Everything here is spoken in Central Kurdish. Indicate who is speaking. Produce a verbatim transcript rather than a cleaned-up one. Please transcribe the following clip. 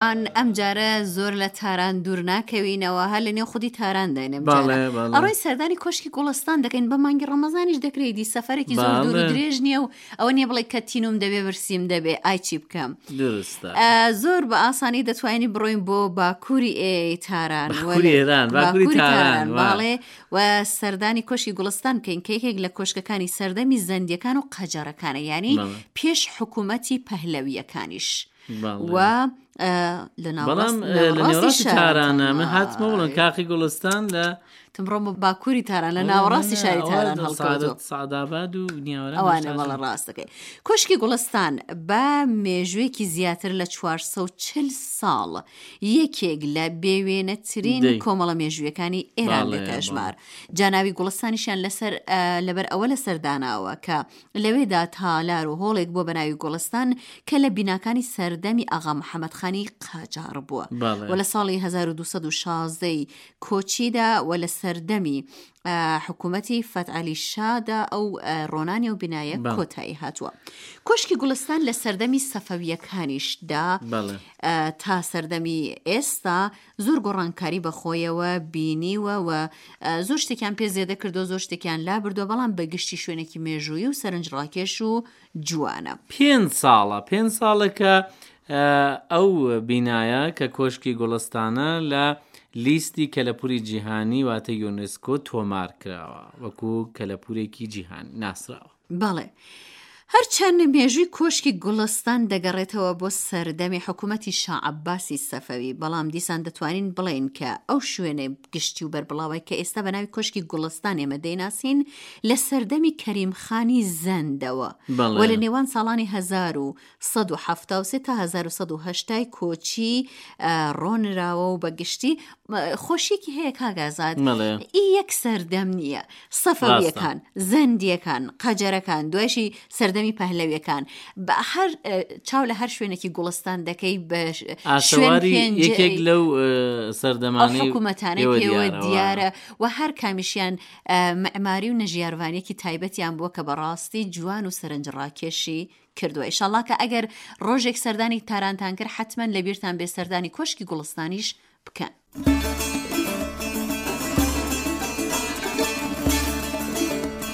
Speaker 1: ئەم جارە زۆر لە تاران دوور ناکەوینەوە هەر لە نێو خودی تاران داین ئەم جارە ئەڕۆین سەردانی کۆشکی گوڵستان دەکەین بە مانگی ڕەمەزانیش دەکرێت دی سەفەرێکی زۆر دوور و درێژ نییە و ئەوە نییە بڵێ کە تینوم دەبێ برسیم دەبێ ئای چی بکەم
Speaker 2: درستە
Speaker 1: زۆر بە ئاسانی دەتوانین بڕۆین بۆ باکووری ئێ تاران
Speaker 2: باکووری ئێران باکووری تاران
Speaker 1: باڵێ و سەردانی کۆشکی گوڵستان بکەین کە یەکێک لە کۆشکەکانی سەردەمی زەندیەکان و قەجەڕەکانە یانی پێش حکوومەتی پەهلەویەکانیش و لە
Speaker 2: ناوەڕاستی تارانە من هاتمە بڵم کاقی گوڵستان لە
Speaker 1: تمڕۆم باکووری تاران لە ناوەڕاستی شاری تاران هەڵکەوتووە
Speaker 2: سەعداباد و نیاوەران
Speaker 1: ئەوانە بەڵێ ڕاستەکەی کۆشکی گوڵستان بە مێژوویەکی زیاتر لە چوار سەد و چل ساڵ یەکێک لە بێوێنەترین کۆمەڵە مێژوویەکانی ئێران دێتە ئەژمار جاناوی گوڵستانیشیان لەسەر لەبەر ئەوە لەسەر داناوە کە لەوێدا تالار و هۆڵێک بووە بە ناوی گوڵستان کە لە بیناکانی سەردەمی ئاغا محەمەد خانی قاجاڕ بووە و لە ساڵی هەزار و دوو سەد و شازدە ی کۆچیدا و لە سەردەمی حکوومەتی فەتعەلی شادا ئەو ڕۆنانی ئەو بینایە کۆتایی هاتووە. کۆشکی گوڵستان لە سەردەمی سەفەوییەکانیشدا تا سەردەمی ئێستا زۆر گۆڕانکاری بەخۆیەوە بینیوە و زۆر شتێکیان پێ زێدە کردووە زۆر شتێکیان لابردووە بەڵام بە گشتی شوێنێکی مێژوویی و سەرنجڕاکێش و جوانە.
Speaker 2: پێنج ساڵە پێنج ساڵە کە ئەو بینایە کە کۆشکی گوڵستانە لە لیستی کەلەپوری جیهانی واتە یونسکۆ تۆمار کراوە وەکو کەلەپورێکی جیهانی ناسراوە.
Speaker 1: بەڵێ. هەرچەند مێژووی کۆشکی گوڵستان دەگەڕێتەوە بۆ سەردەمی حکوومەتی شا عەباسی سەفەوی، بەڵام دیسان دەتوانین بڵێین کە ئەو شوێنە گشتی و بەربڵاوەی کە ئێستا بە ناوی کۆشکی گوڵستان ئێمە دەیناسین لە سەردەمی کەریم خانی زەندەوە و لە نێوان ساڵانی هەزار و سەد و حەفتا و سێ تا هەزار و سەد و هەشتا ی کۆچی ڕۆنراوە و بە گشتی خۆشیەکی هەیە کاک ئازاد ئی یەک سەردەم نییە سەفەویەکان زەندیەکان قەجەرەکان دوایشی سەردەمی پەهلەویەکان بە هەر چاو لە هەر شوێنێکی گوڵستان دەکەی بە
Speaker 2: ئاسەواری یەکێک لەو سەردەمانەی
Speaker 1: حکوومەتانەی پێوە دیارە و هەر کامیشیان معماری و نەژیارڤانیەکی تایبەتیان بووە کە بەڕاستی جوان و سەرنجڕاکێشی کردووە ئیشەڵا کە ئەگەر ڕۆژێک سەردانی تارانتان کرد حەتمەن لەبیرتان بێ سەردانی کۆشکی گوڵستانیش بکەن.